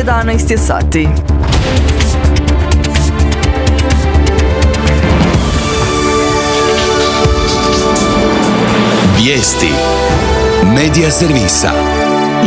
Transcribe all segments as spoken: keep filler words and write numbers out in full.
jedanaest je sati. Vijesti Medija servisa.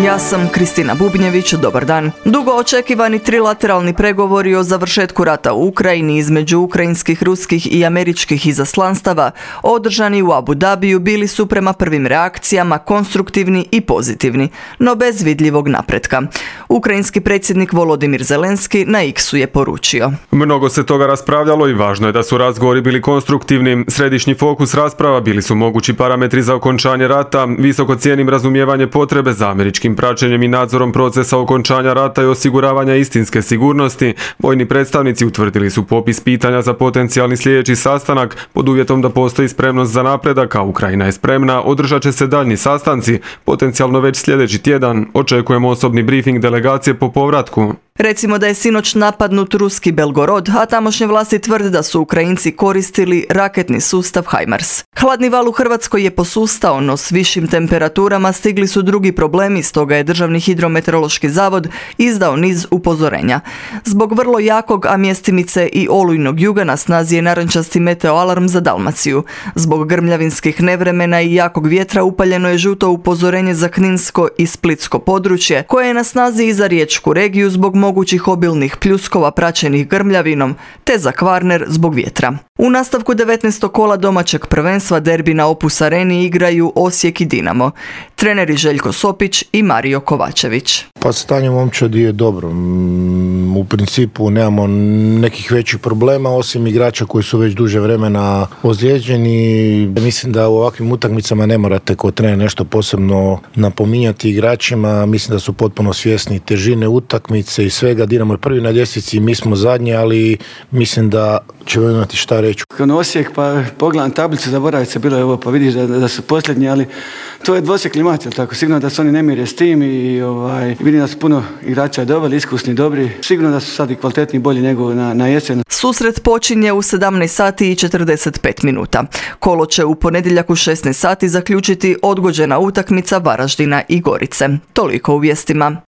Ja sam Kristina Bubnjević, dobar dan. Dugo očekivani trilateralni pregovori o završetku rata u Ukrajini između ukrajinskih, ruskih i američkih izaslanstava održani u Abu Dhabiju bili su prema prvim reakcijama konstruktivni i pozitivni, no bez vidljivog napretka. Ukrajinski predsjednik Volodimir Zelenski na X-u je poručio: Mnogo se toga raspravljalo i važno je da su razgovori bili konstruktivni. Središnji fokus rasprava bili su mogući parametri za okončanje rata, visoko cijenim razumijevanje potrebe za američkim praćenjem i nadzorom procesa okončanja rata i osiguravanja istinske sigurnosti. Vojni predstavnici utvrdili su popis pitanja za potencijalni sljedeći sastanak pod uvjetom da postoji spremnost za napredak, a Ukrajina je spremna. Održat će se daljnji sastanci, potencijalno već sljedeći tjedan. Očekujemo osobni briefing delegacije po povratku. Recimo da je sinoć napadnut ruski Belgorod, a tamošnje vlasti tvrde da su Ukrajinci koristili raketni sustav HIMARS. Hladni val u Hrvatskoj je posustao, no s višim temperaturama stigli su drugi problemi, stoga je Državni hidrometeorološki zavod izdao niz upozorenja. Zbog vrlo jakog, a mjestimice i olujnog juga na snazi je narančasti meteoalarm za Dalmaciju. Zbog grmljavinskih nevremena i jakog vjetra upaljeno je žuto upozorenje za kninsko i splitsko područje, koje je na snazi i za riječku regiju zbog mogućih obilnih pljuskova praćenih grmljavinom, te za Kvarner zbog vjetra. U nastavku devetnaestog kola domaćeg prvenstva derbi na Opus Areni igraju Osijek i Dinamo. Treneri Željko Sopić i Mario Kovačević. Pa stanje momčadi je dobro. U principu nemamo nekih većih problema, osim igrača koji su već duže vremena ozlijeđeni. Mislim da u ovakvim utakmicama ne morate kao trener nešto posebno napominjati igračima. Mislim da su potpuno svjesni težine utakmice i svega. Dinamo je prvi na ljestvici, mi smo zadnji, ali mislim da ćemo imati šta reći. Kao Osijek, pa pogledam tablicu, zaboraviti se bilo je ovo, pa vidiš da, da su posljednji, ali to je dvosjekli mač, tako? Sigurno da su oni nemire s tim i ovaj, vidim da su puno igrača doveli, iskusni, dobri. Sigurno da su sad i kvalitetni, bolji nego na, na jesen. Susret počinje u sedamnaest sati i četrdeset pet minuta. Kolo će u ponedjeljak u šesnaest sati zaključiti odgođena utakmica Varaždina i Gorice. Toliko u vijestima.